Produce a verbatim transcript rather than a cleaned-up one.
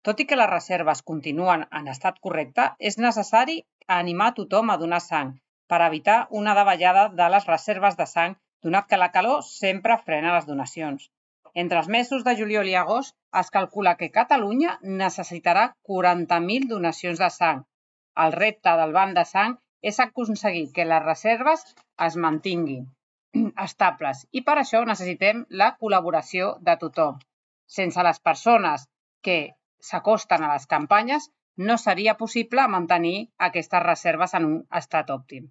Tot i que les reserves continuen en estat correcte, és necessari animar tothom a donar sang per evitar una davallada de les reserves de sang, donat que la calor sempre frena les donacions. Entre els mesos de juliol i agost es calcula que Catalunya necessitarà quaranta mil donacions de sang. El repte del banc de sang és aconseguir que les reserves es mantinguin estables i per això necessitem la col·laboració de tothom. Sense les persones que s'acosten a les campanyes no seria possible mantenir aquestes reserves en un estat òptim.